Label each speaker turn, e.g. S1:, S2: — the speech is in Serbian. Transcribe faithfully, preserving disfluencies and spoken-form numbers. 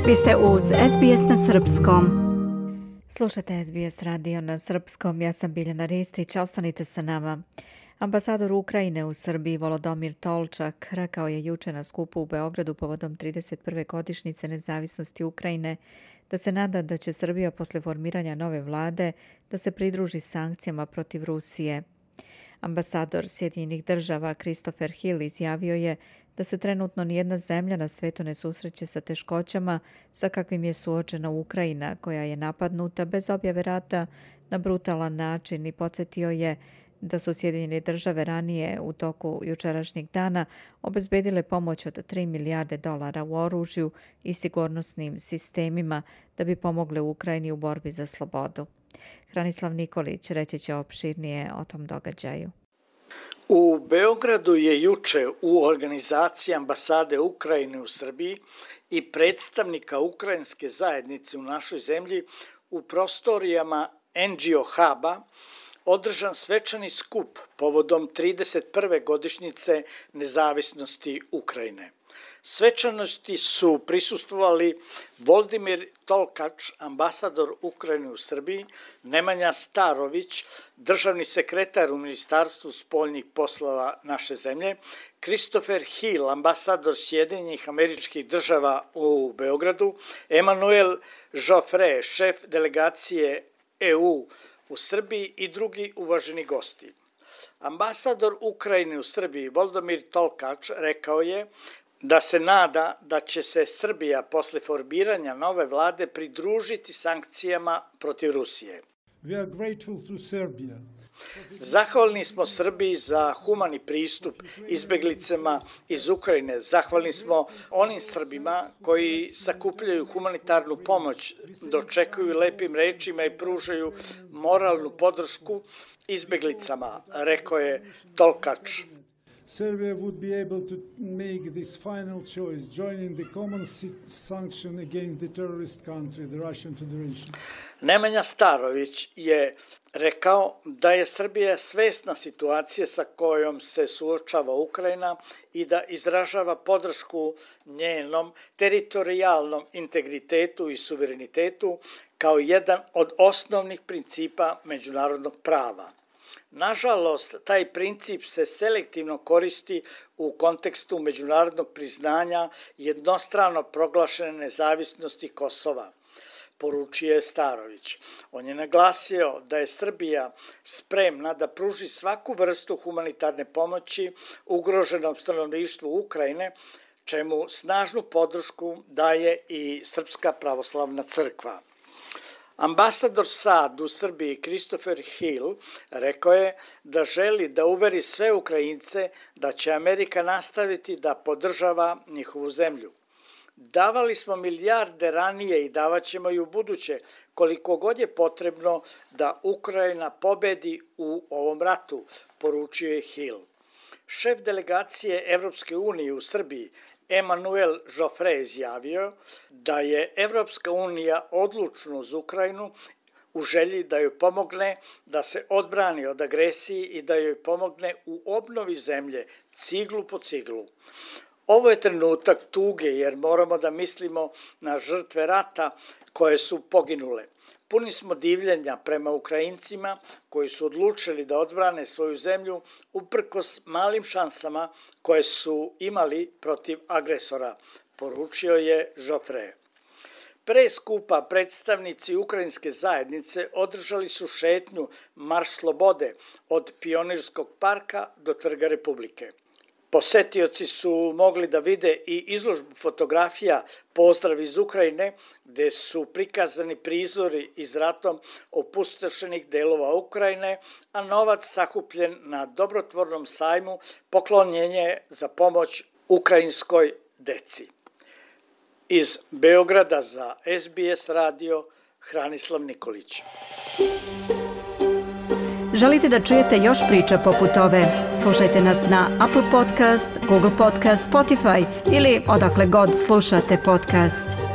S1: Vi ste uz S B S na srpskom. Slušajte S B S radio na srpskom, ja sam Biljana Ristić, ostanite sa nama. Ambasador Ukrajine u Srbiji Volodomir Tolčak rekao je juče na skupu u Beogradu povodom trideset prve godišnjice nezavisnosti Ukrajine da se nada da će Srbija posle formiranja nove vlade da se pridruži sankcijama protiv Rusije. Ambasador Sjedinjenih država Christopher Hill izjavio je da se trenutno nijedna zemlja na svetu ne susreće sa teškoćama sa kakvim je suočena Ukrajina, koja je napadnuta bez objave rata na brutalan način, i podsjetio je da su Sjedinjene države ranije u toku jučerašnjeg dana obezbedile pomoć od tri milijarde dolara u oružju i sigurnosnim sistemima da bi pomogle Ukrajini u borbi za slobodu. Hranislav Nikolić reći će opširnije o tom događaju.
S2: U Beogradu je juče u organizaciji ambasade Ukrajine u Srbiji i predstavnika ukrajinske zajednice u našoj zemlji u prostorijama N G O Huba održan svečani skup povodom trideset prve godišnjice nezavisnosti Ukrajine. Svečanosti su prisustvovali Voldimir Tolkač, ambasador Ukrajine u Srbiji, Nemanja Starović, državni sekretar u Ministarstvu spoljnih poslova naše zemlje, Christopher Hill, ambasador Sjedinjenih Američkih Država u Beogradu, Emmanuel Joffre, šef delegacije E U u Srbiji i drugi uvaženi gosti. Ambasador Ukrajine u Srbiji Volodomir Tolkač rekao je da se nada da će se Srbija posle formiranja nove vlade pridružiti sankcijama protiv Rusije.
S3: We are grateful to Serbia.
S2: Zahvalni smo Srbiji za humani pristup izbeglicama iz Ukrajine. Zahvalni smo onim Srbima koji sakupljaju humanitarnu pomoć, dočekuju lepim rečima i pružaju moralnu podršku izbeglicama, rekao je Tolkač.
S3: Serbia would be able to make this final choice, joining the common sanction against the terrorist country, the Russian Federation.
S2: Nemanja Starović je rekao da je Srbija svesna situacije sa kojom se suočava Ukrajina i da izražava podršku njenom teritorijalnom integritetu i suverenitetu kao jedan od osnovnih principa međunarodnog prava. Nažalost, taj princip se selektivno koristi u kontekstu međunarodnog priznanja jednostrano proglašene nezavisnosti Kosova, poručio je Starović. On je naglasio da je Srbija spremna da pruži svaku vrstu humanitarne pomoći ugroženom stanovništvu Ukrajine, čemu snažnu podršku daje i Srpska pravoslavna crkva. Ambasador S A D u Srbiji Christopher Hill rekao je da želi da uveri sve Ukrajince da će Amerika nastaviti da podržava njihovu zemlju. Davali smo milijarde ranije i davaćemo i u buduće koliko god je potrebno da Ukrajina pobedi u ovom ratu, poručio je Hill. Šef delegacije Evropske unije u Srbiji Emmanuel Joffre izjavio da je Evropska unija odlučna uz Ukrajinu u želji da joj pomogne da se odbrani od agresije i da joj pomogne u obnovi zemlje ciglu po ciglu. Ovo je trenutak tuge jer moramo da mislimo na žrtve rata koje su poginule. Puni smo divljenja prema Ukrajincima koji su odlučili da odbrane svoju zemlju uprkos malim šansama koje su imali protiv agresora, poručio je Joffre. Pre skupa predstavnici ukrajinske zajednice održali su šetnju Marš slobode od Pionirskog parka do Trga Republike. Posetioci su mogli da vide i izložbu fotografija Pozdrav iz Ukrajine, gde su prikazani prizori iz ratom opustošenih delova Ukrajine, a novac sakupljen na dobrotvornom sajmu poklonjenje za pomoć ukrajinskoj deci. Iz Beograda za S B S radio, Hranislav Nikolić.
S1: Želite da čujete još priča poput ove? Slušajte nas na Apple Podcast, Google Podcast, Spotify ili odakle god slušate podcast.